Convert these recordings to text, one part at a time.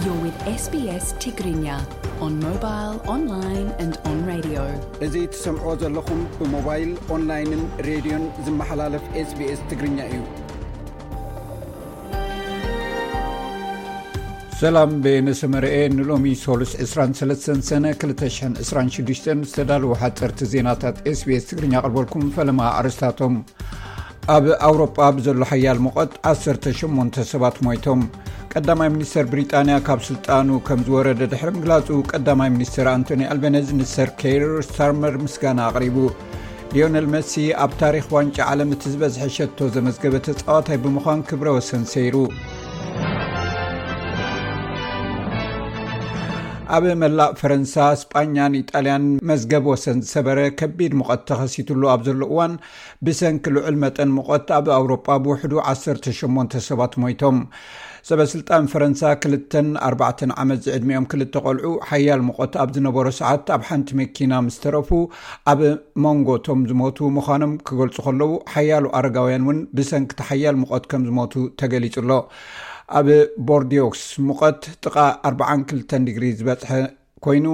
You're with S B S Tigrinya on mobile, online and on radio. እዚ ትሰምዖ ዘለኹም ብሞባይል፣ ኦንላይንን ሬድዮን ዝመሓላለፍ SBS ትግርኛ እዩ። ሰላም፣ በየነ ሰመረኤ። ንሎሚ ሶሉስ ዕስራን ሰለስተን ሰነ ክልተ ሽሕን ዕስራን ሽዱሽተን ዝተዳለዉ ሓፀርቲ ዜናታት SBS ትግርኛ ኣቕርበልኩም። ፈለማ ኣርእስታቶም። ኣብ ኣውሮጳ ብዘሎ ሓያል ሙቐት ዓሰርተ ሸሞንተ ሰባት ሞይቶም። ቀዳማይ ሚኒስተር ብሪጣንያ ካብ ስልጣኑ ከም ዝወረደ ድሕሪ ምግላጹ፣ ቀዳማይ ሚኒስተር ኣንቶኒ ኣልበነዝ ንሰር ኬር ስታርመር ምስጋና ኣቕሪቡ። ሊዮነል መሲ ኣብ ታሪኽ ዋንጫ ዓለም እቲ ዝበዝሐ ሸቶ ዘመዝገበ ተጻዋታይ ብምዃን ክብረ ወሰን ሰይሩ። ኣብ መላእ ፈረንሳ፣ ስጳኛን ኢጣልያን መዝገብ ወሰን ዝሰበረ ከቢድ ሙቐት ተኸሲትሉ ኣብ ዘሎ እዋን፣ ብሰንኪ ልዑል መጠን ሙቐት ኣብ ኣውሮጳ ብውሕዱ ዓሰርተ ሸሞንተ ሰባት ሞይቶም። ሰበ ስልጣን ፈረንሳ ክልተን ኣርባዕተን ዓመት ዝዕድሚኦም ክልተ ቆልዑ ሓያል ሙቐት ኣብ ዝነበሮ ሰዓት ኣብ ሓንቲ መኪና ምስ ተረፉ፣ ኣብ መንጎ እቶም ዝሞቱ ምዃኖም ክገልጹ ከለዉ፣ ሓያሎ ኣረጋውያን እውን ብሰንኪ እቲ ሓያል ሙቐት ከም ዝሞቱ ተገሊጹ ኣሎ። ኣብ ቦርዲዮክስ ሙቐት ጥቓ ኣርባዓን ክልተን ዲግሪ ዝበጽሐ ኮይኑ፣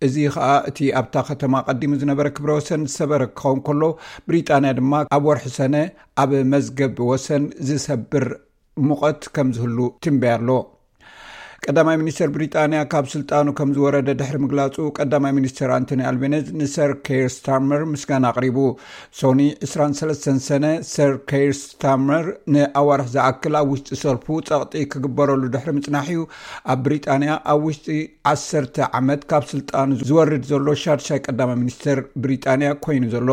እዚ ኸኣ እቲ ኣብታ ከተማ ቀዲሙ ዝነበረ ክብረ ወሰን ዝሰበረ ክኸውን ከሎ፣ ብሪጣንያ ድማ ኣብ ወርሒ ሰነ ኣብ መዝገብ ወሰን ዝሰብር ሙቐት ከም ዝህሉ ትንበያ ኣሎ። ቀዳማይ ሚኒስተር ብሪጣንያ ካብ ስልጣኑ ከም ዝወረደ ድሕሪ ምግላጹ፣ ቀዳማይ ሚኒስተር ኣንቶኒ ኣልቤነዝ ንሰር ኬር ስታርመር ምስጋና ኣቕሪቡ። ሶኒ ዕስራን ሰለስተን ሰነ፣ ሰር ኬር ስታርመር ንኣዋርሕ ዝኣክል ኣብ ውሽጢ ሰልፉ ጸቕጢ ክግበረሉ ድሕሪ ምጽናሕ እዩ ኣብ ብሪጣንያ ኣብ ውሽጢ ዓሰርተ ዓመት ካብ ስልጣኑ ዝወርድ ዘሎ ሻድሻይ ቀዳማይ ሚኒስተር ብሪጣንያ ኮይኑ ዘሎ።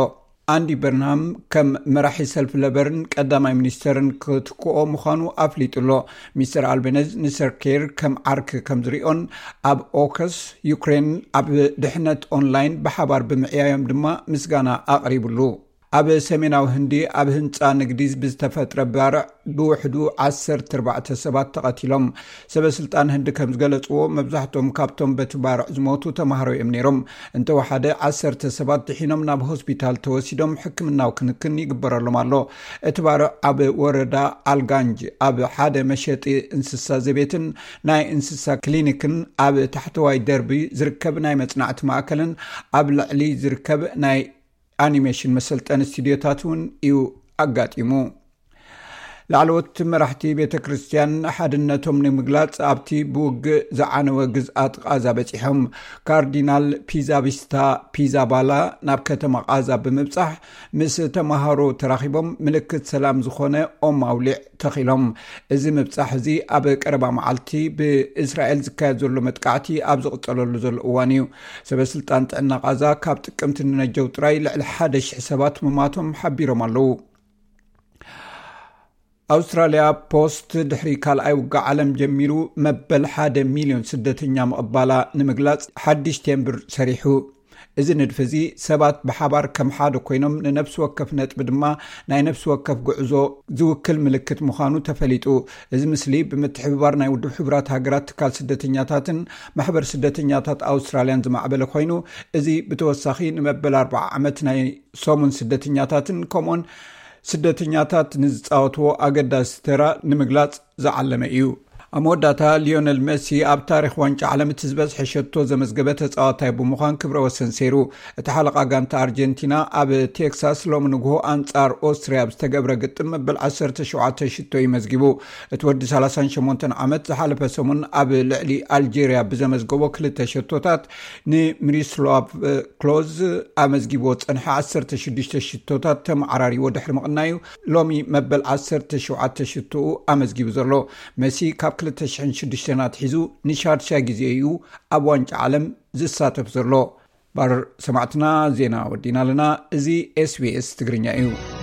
ኣንዲ በርንሃም ከም መራሒ ሰልፊ ለበርን ቀዳማይ ሚኒስተርን ክትክኦ ምዃኑ ኣፍሊጡ ኣሎ። ሚስተር ኣልቤነዝ ንሰር ኬር ከም ዓርኪ ከም ዝሪኦን፣ ኣብ ኦከስ ዩክሬን ኣብ ድሕነት ኦንላይን ብሓባር ብምዕያዮም ድማ ምስጋና ኣቕሪብሉ። ኣብ ሰሜናዊ ህንዲ ኣብ ህንጻ ንግዲ ብዝተፈጥረ ባርዕ ብውሕዱ ዓሰርተ ኣርባዕተ ሰባት ተቐቲሎም። ሰበ ስልጣን ህንዲ ከም ዝገለጽዎ፣ መብዛሕትኦም ካብቶም በቲ ባርዕ ዝሞቱ ተማሃሮ እዮም ነይሮም። እንተወሓደ ዓሰርተ ሰባት ድሒኖም ናብ ሆስፒታል ተወሲዶም ሕክምናዊ ክንክን ይግበረሎም ኣሎ። እቲ ባርዕ ኣብ ወረዳ ኣልጋንጅ ኣብ ሓደ መሸጢ እንስሳ ዘቤትን ናይ እንስሳ ክሊኒክን ኣብ ታሕተዋይ ደርቢ ዝርከብ ናይ መጽናዕቲ ማእከልን ኣብ ልዕሊ ዝርከብ ናይ ኣኒሜሽን መሰልጠኒ ስቱድዮታት እውን እዩ ኣጋጢሙ። ላዕለዎት መራሕቲ ቤተ ክርስቲያን ሓድነቶም ንምግላጽ ኣብቲ ብውግእ ዝዓነወ ግዝኣት ቃዛ በጺሖም። ካርዲናል ፒዛቢስታ ፒዛባላ ናብ ከተማ ቃዛ ብምብጻሕ ምስ ተማሃሮ ተራኺቦም ምልክት ሰላም ዝኾነ ኦም ኣውሊዕ ተኺሎም። እዚ ምብጻሕ እዚ ኣብ ቀረባ መዓልቲ ብእስራኤል ዝካየድ ዘሎ መጥቃዕቲ ኣብ ዝቕጸለሉ ዘሎ እዋን እዩ። ሰበ ስልጣን ጥዕና ቃዛ ካብ ጥቅምቲ ንነጀው ጥራይ ልዕሊ ሓደ ሽሕ ሰባት ምማቶም ሓቢሮም ኣለዉ። ኣውስትራልያ ፖስት ድሕሪ ካልኣይ ውግእ ዓለም ጀሚሩ መበል ሓደ ሚልዮን ስደተኛ ምቕባላ ንምግላጽ ሓድሽ ቴምብር ሰሪሑ። እዚ ንድፊ እዚ ሰባት ብሓባር ከም ሓደ ኮይኖም ንነፍሲ ወከፍ ነጥቢ ድማ ናይ ነፍሲ ወከፍ ጉዕዞ ዝውክል ምልክት ምዃኑ ተፈሊጡ። እዚ ምስሊ ብምትሕብባር ናይ ውድብ ሕቡራት ሃገራት ትካል ስደተኛታትን ማሕበር ስደተኛታት ኣውስትራልያን ዝማዕበለ ኮይኑ፣ እዚ ብተወሳኺ ንመበል ኣርባዓ ዓመት ናይ ሰሙን ስደተኛታትን ከምኡን ስደተኛታት ንዝጻወትዎ ኣገዳሲ ተራ ንምግላጽ ዝዓለመ እዩ። ኣብ መወዳእታ፣ ሊዮነል መሲ ኣብ ታሪኽ ዋንጫ ዓለም እቲ ዝበዝሐ ሸቶ ዘመዝገበ ተጻዋታይ ብምዃን ክብረ ወሰን ሰይሩ። እቲ ሓለቓ ጋንታ ኣርጀንቲና ኣብ ቴክሳስ ሎሚ ንግሆ ኣንጻር ኦስትርያ ኣብ ዝተገብረ ግጥም መበል ዓሰርተ ሸውዓተ ሽቶ እዩ መዝጊቡ። እቲ ወዲ ሰላሳን ሸሞንተን ዓመት ዝሓለፈ ሰሙን ኣብ ልዕሊ ኣልጄርያ ብዘመዝገቦ ክልተ ሸቶታት ንሚሪስላቭ ክሎዝ ኣመዝጊብዎ ዝጸንሐ ዓሰርተ ሽዱሽተ ሽቶታት ተመዓራሪዎ ድሕሪ ምቕናዩ፣ ሎሚ መበል ዓሰርተ ሸውዓተ ሽቶኡ ኣመዝጊቡ ዘሎ። መሲ ካብ ክልተ ሽሕን ሽዱሽተን ኣትሒዙ ንሻድሻይ ግዜ እዩ ኣብ ዋንጫ ዓለም ዝሳተፍ ዘሎ። ባር ሰማዕትና፣ ዜና ወዲና ኣለና። እዚ SBS ትግርኛ እዩ።